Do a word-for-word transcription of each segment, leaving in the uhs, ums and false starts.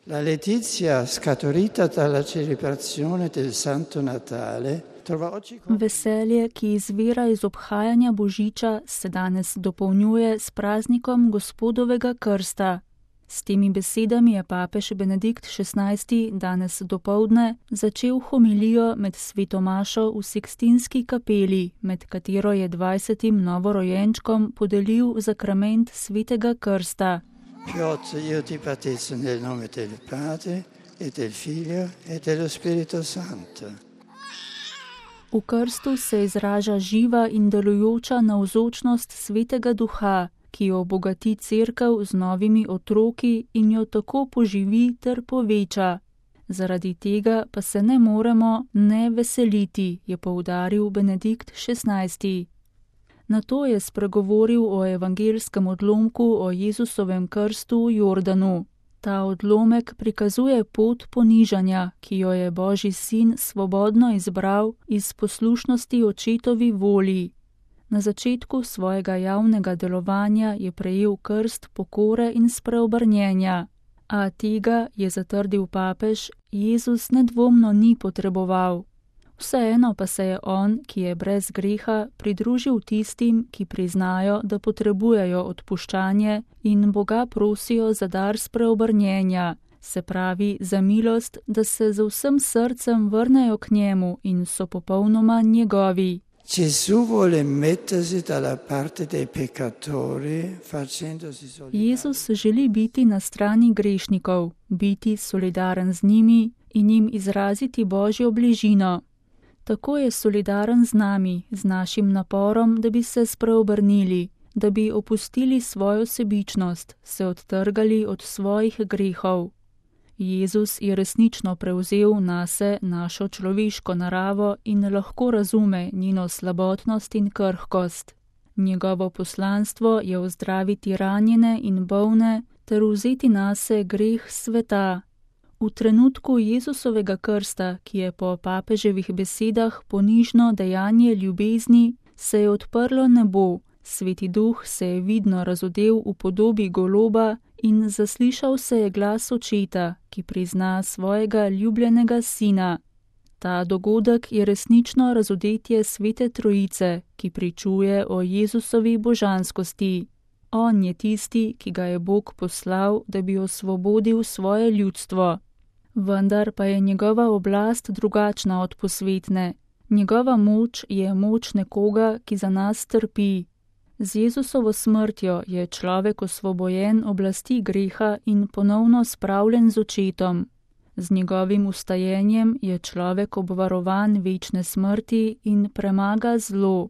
La letizia scaturita dalla celebrazione del Santo Natale trova oggi... Veselje, ki izvira iz obhajanja Božiča, se danes dopolnjuje s praznikom Gospodovega krsta. S temi besedami je papež Benedikt šestnajsti danes dopoldne začel homilijo med sveto mašo v Sikstinski kapeli, med katero je dvajsetim novorojenčkom podelil zakrament svetega krsta. Piotr, io ti battezzo nel nome del Padre e del Figlio e dello Spirito Santo. V krstu se izraža živa in delujoča navzočnost svetega duha, ki jo obogati cerkev z novimi otroki in jo tako poživi ter poveča. Zaradi tega pa se ne moremo ne veseliti, je poudaril Benedikt šestnajsti. Nato je spregovoril o evangelskem odlomku o Jezusovem krstu v Jordanu. Ta odlomek prikazuje pot ponižanja, ki jo je Božji sin svobodno izbral iz poslušnosti očetovi volji. Na začetku svojega javnega delovanja je prejel krst pokore in spreobrnjenja, a tega, je zatrdil papež, Jezus nedvomno ni potreboval. Vseeno pa se je on, ki je brez greha, pridružil tistim, ki priznajo, da potrebujejo odpuščanje in Boga prosijo za dar spreobrnjenja, se pravi za milost, da se z vsem srcem vrnejo k njemu in so popolnoma njegovi. Jezus želi biti na strani grešnikov, biti solidaren z njimi in jim izraziti Božjo bližino. Tako je solidaren z nami, z našim naporom, da bi se spreobrnili, da bi opustili svojo sebičnost, se odtrgali od svojih grehov. Jezus je resnično prevzel nase našo človeško naravo in lahko razume njeno slabotnost in krhkost. Njegovo poslanstvo je ozdraviti ranjene in bolne ter vzeti nase greh sveta. V trenutku Jezusovega krsta, ki je po papeževih besedah ponižno dejanje ljubezni, se je odprlo nebo, Sveti duh se je vidno razodel v podobi goloba in zaslišal se je glas očeta, ki prizna svojega ljubljenega sina. Ta dogodek je resnično razodetje Svete Trojice, ki pričuje o Jezusovi božanskosti. On je tisti, ki ga je Bog poslal, da bi osvobodil svoje ljudstvo. Vendar pa je njegova oblast drugačna od posvetne. Njegova moč je moč nekoga, ki za nas trpi. Z Jezusovo smrtjo je človek osvobojen oblasti greha in ponovno spravljen z očetom. Z njegovim ustajenjem je človek obvarovan večne smrti in premaga zlo.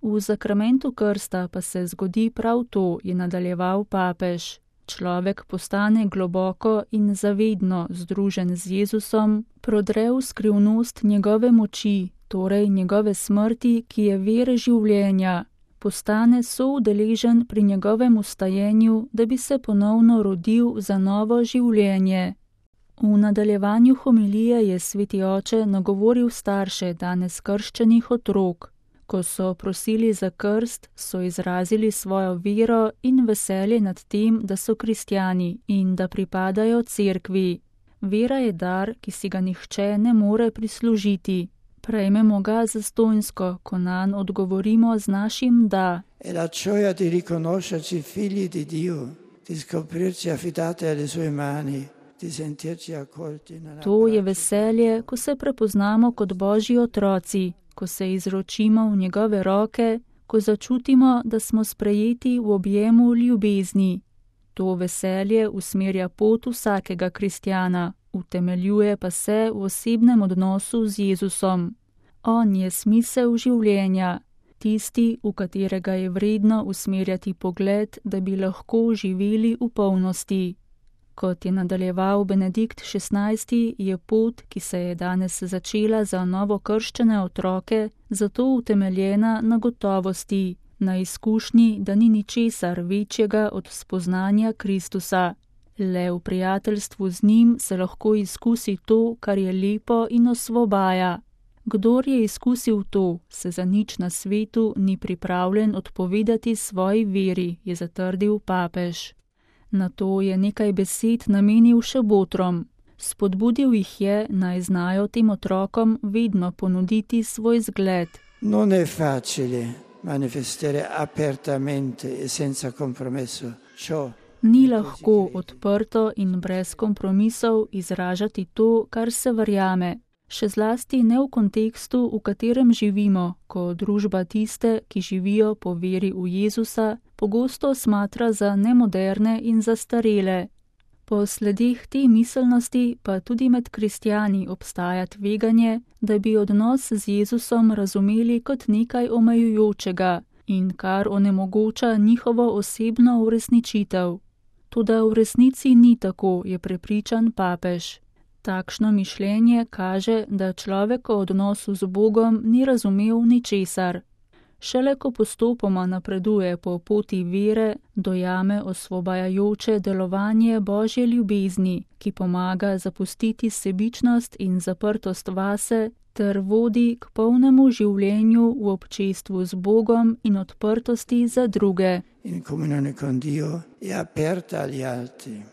V zakramentu krsta pa se zgodi prav to, je nadaljeval papež. Človek postane globoko in zavedno združen z Jezusom, prodre v skrivnost njegove moči, torej njegove smrti, ki je vir življenja. Postane soudeležen pri njegovem ustajenju, da bi se ponovno rodil za novo življenje. V nadaljevanju homilije je sveti oče nagovoril starše danes krščenih otrok. Ko so prosili za krst, so izrazili svojo vero in veselje nad tem, da so kristjani in da pripadajo cerkvi. Vera je dar, ki si ga nihče ne more prislužiti. Prejmemo ga zastonjsko, ko nanj odgovorimo z našim da. E la gioia di riconoscerci figli di Dio, di scoprirci affidati alle sue mani, di sentirci accolti nella... To je veselje, ko se prepoznamo kot Božji otroci, ko se izročimo v njegove roke, ko začutimo, da smo sprejeti v objemu ljubezni. To veselje usmerja pot vsakega kristjana, utemeljuje pa se v osebnem odnosu z Jezusom. On je smisel življenja, tisti, v katerega je vredno usmerjati pogled, da bi lahko živeli v polnosti. Kot je nadaljeval Benedikt šestnajsti, je pot, ki se je danes začela za novokrščene otroke, zato utemeljena na gotovosti, na izkušnji, da ni ničesar večjega od spoznanja Kristusa. Le v prijateljstvu z njim se lahko izkusi to, kar je lepo in osvobaja. Kdor je izkusil to, se za nič na svetu ni pripravljen odpovedati svoji veri, je zatrdil papež. Nato je nekaj besed namenil še botrom. Spodbudil jih je, naj znajo tem otrokom vedno ponuditi svoj zgled. Non è facile manifestare apertamente e senza compromesso ciò. Ni lahko odprto in brez kompromisov izražati to, kar se verjame. Še zlasti ne v kontekstu, v katerem živimo, ko družba tiste, ki živijo po veri v Jezusa, pogosto smatra za nemoderne in zastarele. Po sledeh te miselnosti pa tudi med kristjani obstaja tveganje, da bi odnos z Jezusom razumeli kot nekaj omejujočega in kar onemogoča njihovo osebno uresničitev. Toda v resnici ni tako, je prepričan papež. Takšno mišljenje kaže, da človek o odnosu z Bogom ni razumel ničesar. Šele ko postopoma napreduje po poti vere, dojame osvobajajoče delovanje Božje ljubezni, ki pomaga zapustiti sebičnost in zaprtost vase ter vodi k polnemu življenju v občestvu z Bogom in odprtosti za druge. In comunione con Dio e aperta agli altri.